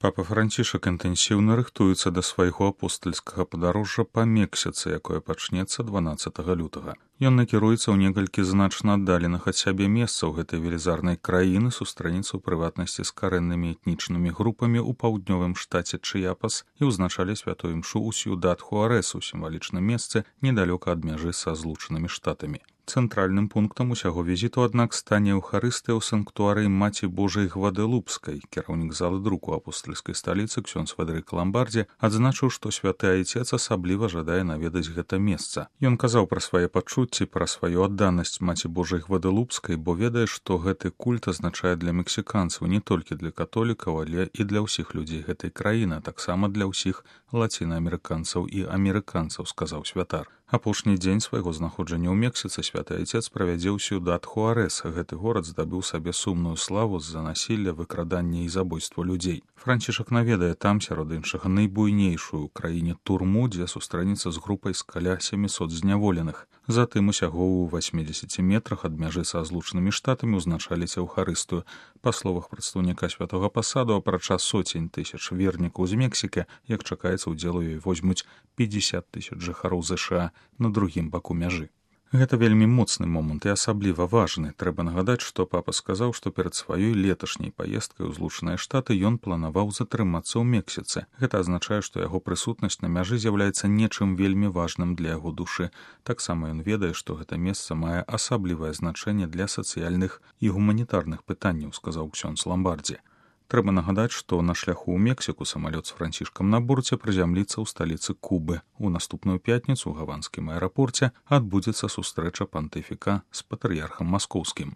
Папа Францішак інтэнсіўна рыхтуецца да свайго апостальскага падарожжа па Мексіцы, якое пачнецца 12 лютага. Ён накіруецца ў некалькі значна аддаленых ад сябе месцаў гэтай велізарнай краіны, сустрэнецца ў прыватнасці з карэннымі этнічнымі групамі ў паўднёвым штаце Чыяпас і ўзначале святую імшу ў Сьюдад-Хуарэс, у сімвалічным месцы недалёка ад мяжы са Злучанымі Штатамі. Цэнтральным пунктам усяго візіту, аднак, стане Еўхарыстыя ў санктуарыі Маці Божай Гваделупскай. Кіраўнік залы друку апостальскай сталіцы ксёндз Федэрык Ламбардзі адзначыў, што святы айцец асабліва жадае наведаць гэта месца. Ён казаў пра свае пачуцці, пра сваю адданасць Маці Божай Гваделупскай, бо ведае, што гэты культ азначае для мексіканцаў не толькі для католікаў, але і для ўсіх людзей гэтай краіны, а таксама для ўсіх лацінаамерыканцаў і амерыканцаў, сказаў святар. Апошні дзень свайго знаходжання ў Мексіцы святы айцец правядзе ў Сьюдад-Хуарэс. Гэты горад здабыў сабе сумную славу з-за насілля, выкрадання і забойства людзей. Францішак наведае там, сярод іншага, найбуйнейшую ў краіне турму, дзе сустрэнецца з групай з каля 700 зняволеных. Затым усяго ў 80 метрах ад мяжы са Злучанымі Штатамі ўзначаліць Еўхарыстыю. Па словах прадстаўніка святога пасаду, апрача сотень тысяч вернікаў з Мексікі, як чакаецца, удзел у ёй возьмуць 50 тысяч жыхароў ЗША на другім баку мяжы. Гэта вельмі моцны момант і асабліва важны. Трэба нагадаць, што папа сказаў, што перад сваёй леташняй паездкай у Злучаныя Штаты ён планаваў затрымацца ў Мексіцы. Гэта азначае, што яго прысутнасць на мяжы з'яўляецца нечым вельмі важным для яго душы. Таксама ён ведае, што гэта месца мае асаблівае значэнне для сацыяльных і гуманітарных пытанняў, сказаў ксёндз Ламбардзі. Трэба нагадаць, што на шляху ў Мексіку самалёт з Францішкам на борце прызямліцца ў сталіцы Кубы. У наступную пятніцу ў гаванскім аэрапорце адбудзецца сустрэча пантыфіка з патрыярхам маскоўскім.